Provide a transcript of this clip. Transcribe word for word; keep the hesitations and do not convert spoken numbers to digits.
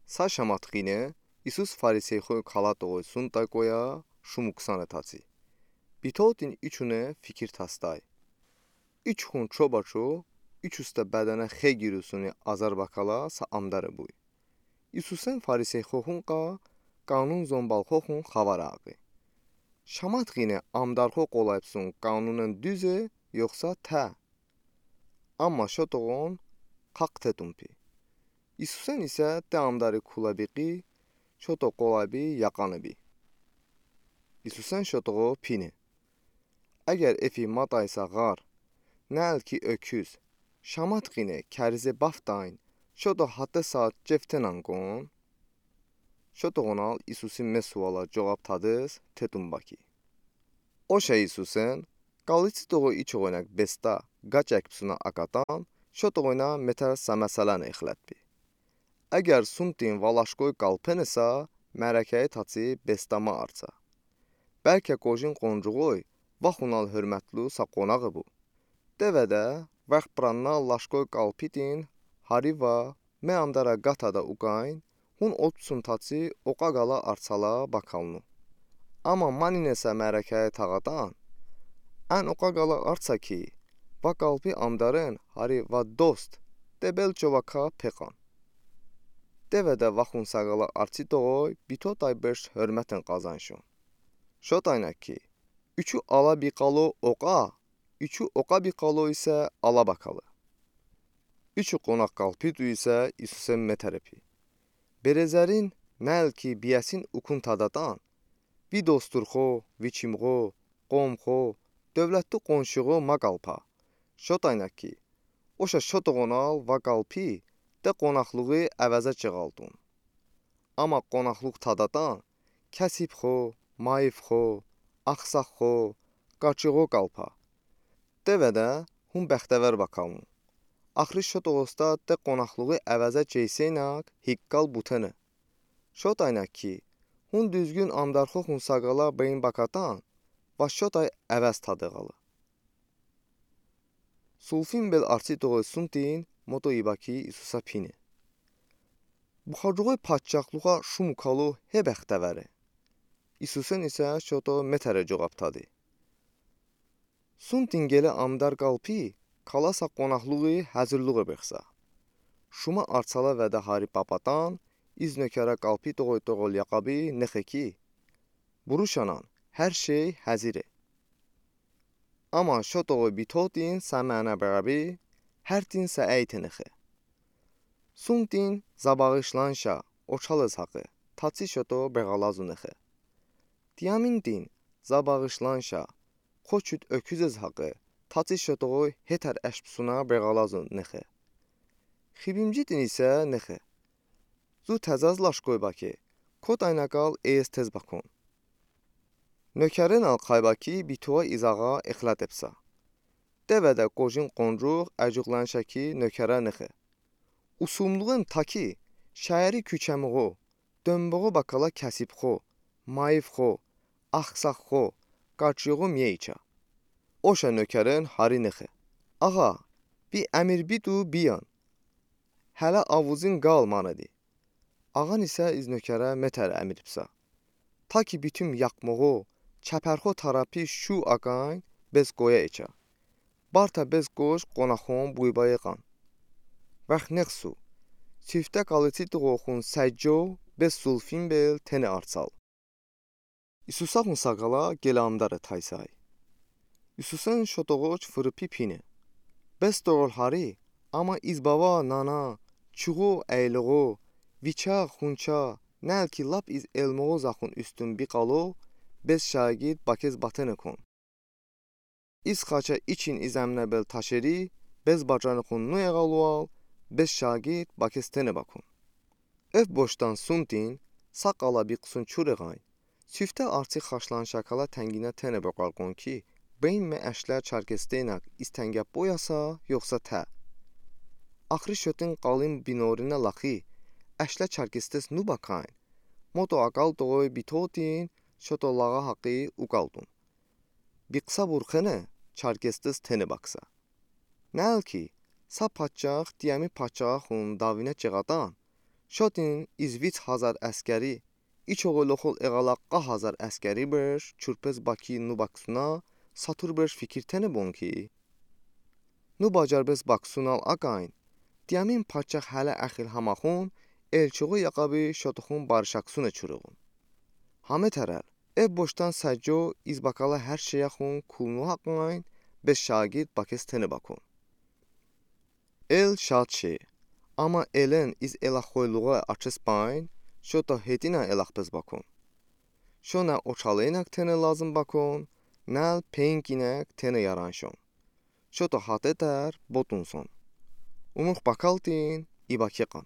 Sa şamətqine İsus fariseyxoy kala toğoy suntay koya şumuksane taci. Bitotin içune fikir tasday. İçuxun çobaço, içuste bədənə xe girusuni azar bakala sa amdare buy. İsusen fariseyxoxunqa qanun zombalxoxun xavare aqi. Şamətqine amdarxo qolayıbsun qanunen düze yoxsa tə? Amma şotoğon qaq tetun pi. İsusen isə tə amdari kulabiqi, şoto qolabi yaqani bi. İsusen şotoğo pini. Əgər efi mataysa ğar, nə ıl ki öküz, şamətqine kərize baftayn, şoto hatte saat cevtenan qon? Şotoğonal İsusi me suala covab tadız tetun baki. Oşə İsusen, qalici toğoy içoğoynəq besta qaç əkbsuna akatan, şotoğoyna metər sa məsələn ixlətbi. Əgər suntin va laşkoy qalpenisə, mərəkəyi taci besta ma artsa. Bəlkə qojin qoncuğoy vaxunal hörmətlu sa qonağı bu. Devedə vaxt bıranna laşkoy qalpitin, hari va me amdara qatada ukayn, hun otsun taci oqa qala artsala bakalnu. Amma maninesə mərəkəyi tağatan, ən oqa qala artsa ki, va qalpi amdaren hari va dost, de belço vaka peqan. Devedə vaxun sa qala artsi toğoy bitotay beş hörməten qazanşon. Şotaynə ki, üçü ala biqalo oqa, üçü oqa biqalo isə ala bakalı. Üçü qonaq qalpitu isə İsusen metəre pi. Berezərin, nə ıl ki biyəsin ukun tadatan, vi dosturxo, vi çimğo, qomxo, dövlətli qonşuğo ma qalpa. Şotaynə ki, oşə şotoğonal va qalpi de qonaqlığı əvəzə çığaltun. Amma qonaqlıq tadatan kəsibxo, mayıfxo, axsaqxo, qaçıqo qalpa. Devedə hun bəxtəvər bakalnu. Axırı şotoğosta de qonaqlığı əvəzə çeyseynak hiqqal butene. Şotaynə ki, hun düzgün amdarxoxun sa qala beyin bakatan, va şotay əvəz tadığalı. Sulfin bel artsi toğoy suntin moto ibaki İsusə pini. Buxacoğoy patçaqluğa şumukalo he bəxtəvəre. İsusen isə şoto metəre covab tadi. Suntin qelə amdar qalpi kalasa qonaqlığı həzırlıq bıxsa. Şuma artsala vədə hari papatan, iz nökərə qalpi toğoy toğol yaqabi nıxe ki, buruşanan, hər şey həzire. Amma şotoğoy bitotin sa mənə bəğəbi, hərtin sa əyte nıxe. Suntin za bağışlanşa, oçalız haqı, taçi şoto bəğalazu nıxe. Diyamintin za bağışlanşa, qoçut öküzüz haqı, taçi şotoğoy hetər əşbsuna bəğalazu nıxe. Xibimcitin isə nıxe. Zu təzəz laşkoy baki, kotaynə qal eyəz tez bakon. Nökərenəl qayba ki bitoə izağa ixlət epsə. Devedə qojin qoncuq əcuqlanşa ki nökərə nıxe. Usumluğen taki şəhəri küçəmığo, dönboğo bakala kəsibxo, mayıfxo, axsaqxo, qaçıqo miyə içə. Oşə nökəren hari nıxe. Ağa, bi əmir bidu biyan. Hələ avuzin qal manedi. Ağan isə iz nökərə metər əmir bısə. Ta ki bütün yaqmoğo, çəpərxo tərəpi şu aqayn bez qoyə içə. Bartə bez qoş qonaxon buyba yığan. Vəx nex su. Siftə qaliçitoğoxun səcco bez sulfin bel tene artsal. İsusaxun sa qala qelə amdare taysay. İsusen şotoğoç fırıpi pine. Bez toğol hari, amma iz bava nana, çuğo əyloğo, viçə, xunçə, nə ıl ki lap iz elmoğo zaxun üstün biqalo, bez şagird bakez batene kon. İz xaçə için iz əmnə bel taşeri, bez bacanıxun nu eğalual, bez şagird bakez tene bakon. Ev boşdan suntin, sa qala biqsun çureğayn, siftə artsi xaşlanşa kala tənginə tene boqarqon ki, beyin me əşlə Çərkesteynak iz təngə boyasa, yoxsa tə. Axırı şotin qalin binorinə laxi, əşlə Çərkestes nu bakayn, moto aqal toğoy bitotin, şoto lağa haqi uqaldun. Biqsa burxene, Çərkestes tene baksa. Nə ıl ki, sa patçaq diyəmi patçağaxun davinə çığatan, Шотин из виц гьазар аскери, и чӀоагӀа лохул эгала кьа гьазар аскери берш чурпез баки ну баксуна сатур берш фикир тенебон ки. Ну бажарбес баксунал акьайин, Тиамин пачах гьале эхил гьамахун, эл чӀоагӀа якъаби шотахун баршаксуна чурагун. Гьаме тарар, эв бошдан сажо из бакала гьар шей ахун кулну гьакьнайн, бес шагирд бакез тенеб акун. Эл шад ше, ама элен из элахой лугъай ачес байн, шота гьетина элахбез бакун. Шона очалайнак тене лазым бакун, нал пенкинак тене яраншон. Шота гьатетар ботунсон. Умух бакалтин ибакиқан.